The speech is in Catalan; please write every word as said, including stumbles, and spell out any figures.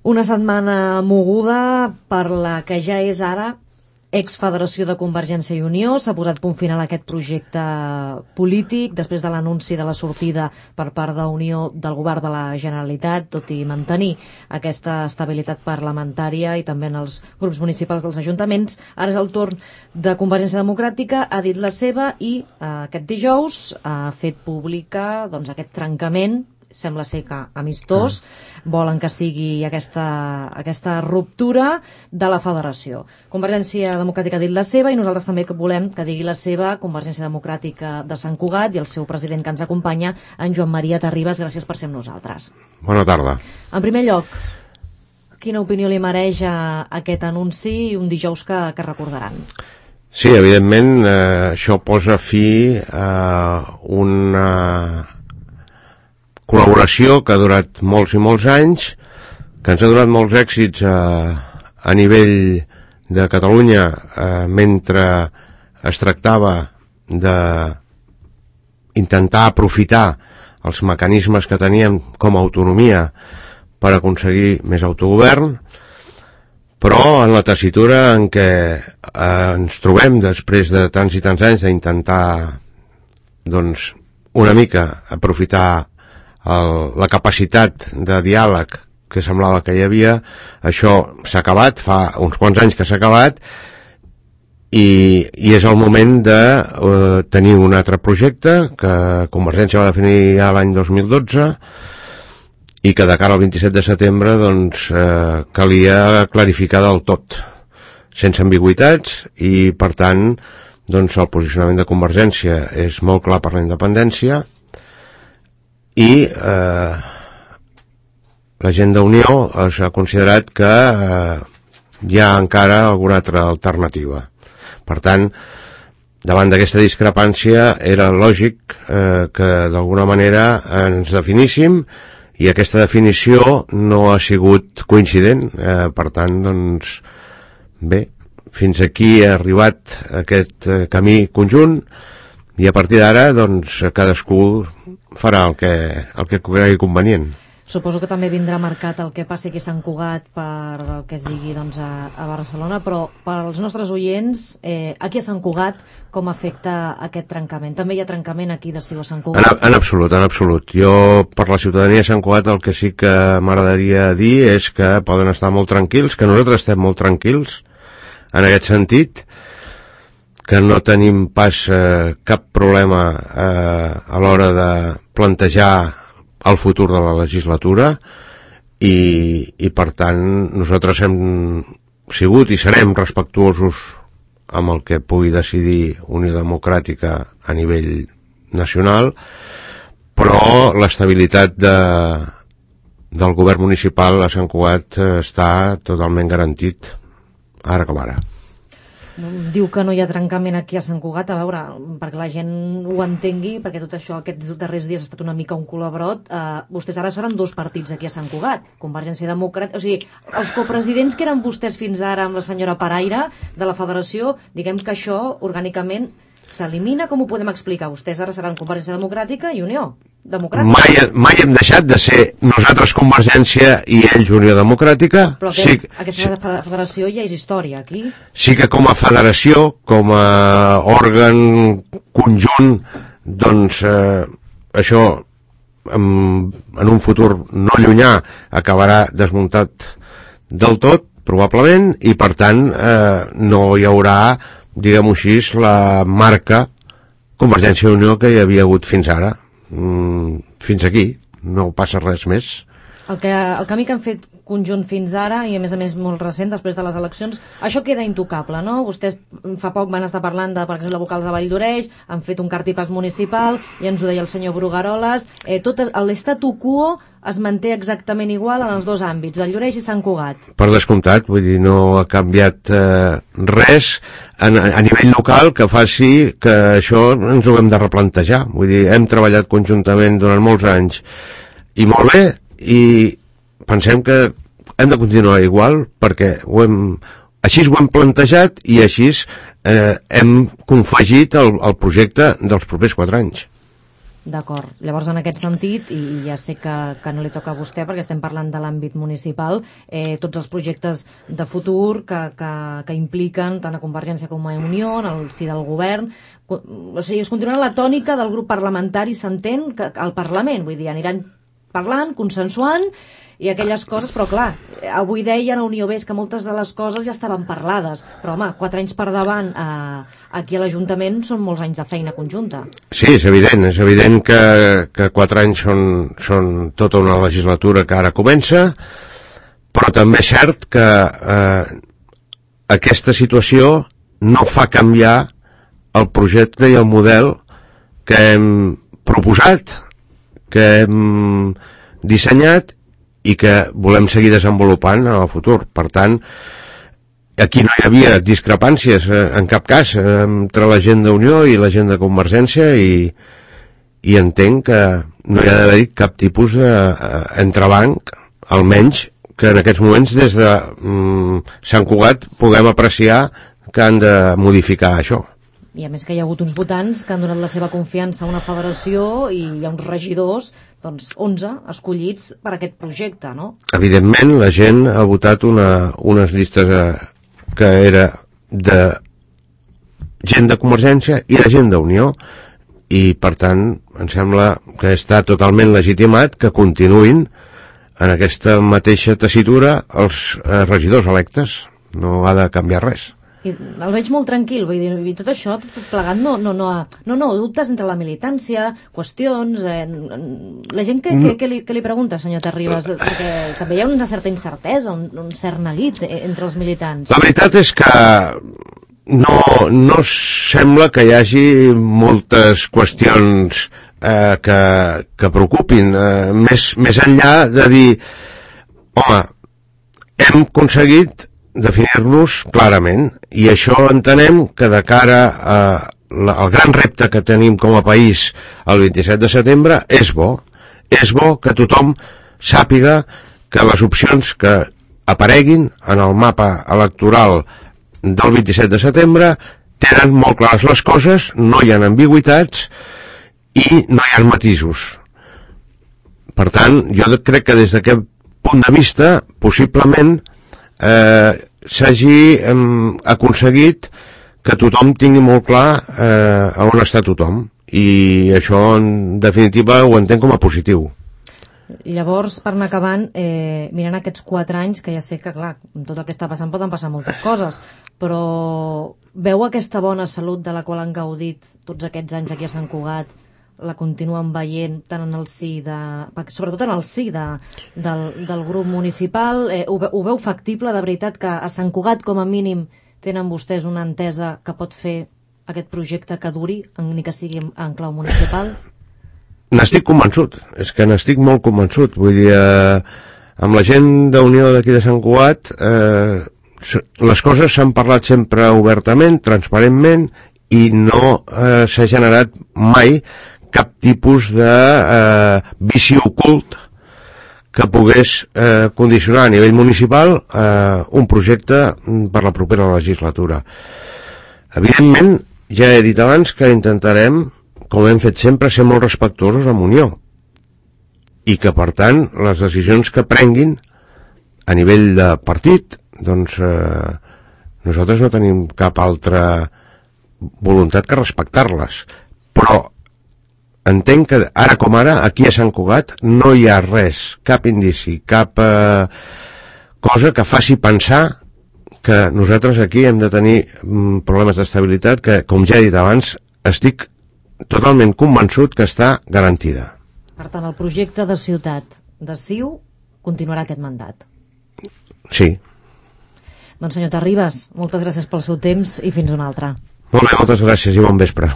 Una setmana moguda per la que ja és ara exfederació de Convergència i Unió. S'ha posat punt final a aquest projecte polític després de l'anunci de la sortida per part d'Unió del govern de la Generalitat, tot i mantenir aquesta estabilitat parlamentària i també en els grups municipals dels ajuntaments. Ara és el torn de Convergència Democràtica, ha dit la seva i eh, aquest dijous ha fet pública doncs, aquest trencament. Sembla ser que amistós, volen que sigui aquesta, aquesta ruptura de la federació. Convergència Democràtica ha dit la seva i nosaltres també volem que digui la seva Convergència Democràtica de Sant Cugat i el seu president que ens acompanya, en Joan Maria Terribas. Gràcies per ser amb nosaltres. Bona tarda. En primer lloc, quina opinió li mereix a aquest anunci i un dijous que, que recordaran? Sí, evidentment, eh, això posa fi a una col·laboració que ha durat molts i molts anys, que ens ha donat molts èxits a, a nivell de Catalunya eh, mentre es tractava d'intentar aprofitar els mecanismes que teníem com a autonomia per aconseguir més autogovern, però en la tessitura en què eh, ens trobem després de tants i tants anys d'intentar doncs, una mica aprofitar El, la capacitat de diàleg que semblava que hi havia, això s'ha acabat, fa uns quants anys que s'ha acabat i, i és el moment de eh, tenir un altre projecte que Convergència va definir ja l'any dos mil dotze i que de cara al vint-i-set de setembre doncs, eh, calia clarificar del tot, sense ambigüitats, i per tant doncs, el posicionament de Convergència és molt clar per la independència i eh, la gent d'Unió ha considerat que eh, hi ha encara alguna altra alternativa. Per tant, davant d'aquesta discrepància era lògic eh, que d'alguna manera ens definíssim i aquesta definició no ha sigut coincident. Eh, per tant, doncs, bé, fins aquí ha arribat aquest eh, camí conjunt i a partir d'ara doncs, cadascú farà el que, el que cregui convenient. Suposo que també vindrà marcat el que passi aquí a Sant Cugat per el que es digui doncs, a, a Barcelona, però per als nostres oients, eh, aquí a Sant Cugat, com afecta aquest trencament? També hi ha trencament aquí de Ciu a Sant Cugat? En, en absolut, en absolut. Jo, per la ciutadania de Sant Cugat, el que sí que m'agradaria dir és que poden estar molt tranquils, que nosaltres estem molt tranquils en aquest sentit, que no tenim pas eh, cap problema eh, a l'hora de plantejar el futur de la legislatura i, i per tant nosaltres hem sigut i serem respectuosos amb el que pugui decidir Unió Democràtica a nivell nacional, però l'estabilitat de, del govern municipal a Sant Cugat està totalment garantit ara com ara. Diu que no hi ha trencament aquí a Sant Cugat, a veure, perquè la gent ho entengui, perquè tot això aquests darrers dies ha estat una mica un colabrot. Eh, vostès ara seran dos partits aquí a Sant Cugat, Convergència Democràtica, o sigui, els copresidents que eren vostès fins ara amb la senyora Paraire de la federació, diguem que això orgànicament s'elimina. Com ho podem explicar? Vostès ara seran Convergència Democràtica i Unió Democràtica. Mai, mai hem deixat de ser nosaltres Convergència i ells Unió Democràtica. Però que, sí, aquesta sí, federació ja és història aquí. Sí que com a federació, com a òrgan conjunt, doncs eh, això en, en un futur no llunyà acabarà desmuntat del tot, probablement, i per tant eh, no hi haurà, diguem-ho així, la marca Convergència i Unió que hi havia hagut fins ara. Mm, fins aquí, no passa res més. El, que, el camí que han fet conjunt fins ara, i a més a més molt recent, després de les eleccions, això queda intocable, no? Vostès fa poc van estar parlant de, per exemple, vocals de Valldoreix, han fet un cartipàs municipal, i ens ho deia el senyor Brugaroles, eh, tot l'estatu quo es manté exactament igual en els dos àmbits, Valldoreix i Sant Cugat. Per descomptat, vull dir, no ha canviat eh, res a, a nivell local que faci que això ens ho hem de replantejar. Vull dir, hem treballat conjuntament durant molts anys i molt bé, i pensem que hem de continuar igual perquè ho hem, així ho hem plantejat i així eh, hem confegit el, el projecte dels propers quatre anys. D'acord. Llavors, en aquest sentit, i ja sé que, que no li toca a vostè perquè estem parlant de l'àmbit municipal, eh, tots els projectes de futur que, que, que impliquen tant a Convergència com a Unió, en el si del govern, o sigui, es continua la tònica del grup parlamentari, s'entén, que al Parlament, vull dir, aniran parlant, consensuant i aquelles coses, però clar, avui deien a Unió Ves que moltes de les coses ja estaven parlades, però home, quatre anys per davant eh, aquí a l'Ajuntament són molts anys de feina conjunta. Sí, és evident, és evident que, que quatre anys són, són tota una legislatura que ara comença, però també és cert que eh, aquesta situació no fa canviar el projecte i el model que hem proposat, que hem dissenyat i que volem seguir desenvolupant en el futur. Per tant, aquí no hi havia discrepàncies eh, en cap cas eh, entre la gent d'Unió i la gent de Convergència i, i entenc que no hi ha d'haver cap tipus d'entrebanc, eh, almenys que en aquests moments des de mm, Sant Cugat puguem apreciar que han de modificar això. I a més que hi ha hagut uns votants que han donat la seva confiança a una federació i hi ha uns regidors, doncs onze escollits per a aquest projecte, no? Evidentment, la gent ha votat una, unes llistes eh, que era de gent de Convergència i de gent d'Unió i, per tant, em sembla que està totalment legitimat que continuïn en aquesta mateixa tessitura els eh, regidors electes. No ha de canviar res. I el veig molt tranquil, vull dir, i tot això, tot plegat, no, no, no, no, no, dubtes entre la militància, qüestions, eh, la gent que, que, que, li, que li pregunta, senyor Terribas, perquè també hi ha una certa incertesa, un, un cert neguit entre els militants. La veritat és que no, no sembla que hi hagi moltes qüestions eh, que, que preocupin, eh, més, més enllà de dir, home, hem aconseguit definir-nos clarament i això entenem que de cara a la, al gran repte que tenim com a país el vint-i-set de setembre és bo, és bo que tothom sàpiga que les opcions que apareguin en el mapa electoral del vint-i-set de setembre tenen molt clares les coses, no hi ha ambigüitats i no hi ha matisos. Per tant, jo crec que des d'aquest punt de vista possiblement Eh, s'hagi eh, aconseguit que tothom tingui molt clar eh, on està tothom i això en definitiva ho entenc com a positiu. Llavors, per anar acabant, eh, mirant aquests quatre anys, que ja sé que clar, amb tot el que està passant poden passar moltes coses, però veu aquesta bona salut de la qual han gaudit tots aquests anys aquí a Sant Cugat, la continuen veient tant en el si de, sobretot en el si de, del, del grup municipal, eh, ho, ho veu factible de veritat que a Sant Cugat com a mínim tenen vostès una entesa que pot fer aquest projecte que duri, ni que sigui en clau municipal? N'estic convençut, és que n'estic molt convençut, vull dir, eh, amb la gent d'Unió d'aquí de Sant Cugat eh, les coses s'han parlat sempre obertament, transparentment i no eh, s'ha generat mai cap tipus de eh, vici ocult que pogués eh, condicionar a nivell municipal eh, un projecte per la propera legislatura. Evidentment, ja he dit abans que intentarem, com hem fet sempre, ser molt respectuosos amb Unió i que, per tant, les decisions que prenguin a nivell de partit, doncs eh, nosaltres no tenim cap altra voluntat que respectar-les. Però entenc que ara com ara, aquí a Sant Cugat, no hi ha res, cap indici, cap eh, cosa que faci pensar que nosaltres aquí hem de tenir mm, problemes d'estabilitat que, com ja he dit abans, estic totalment convençut que està garantida. Per tant, el projecte de ciutat de C I U continuarà aquest mandat. Sí. Doncs senyor Terribas, moltes gràcies pel seu temps i fins una altra. Molt bé, moltes gràcies i bon vespre.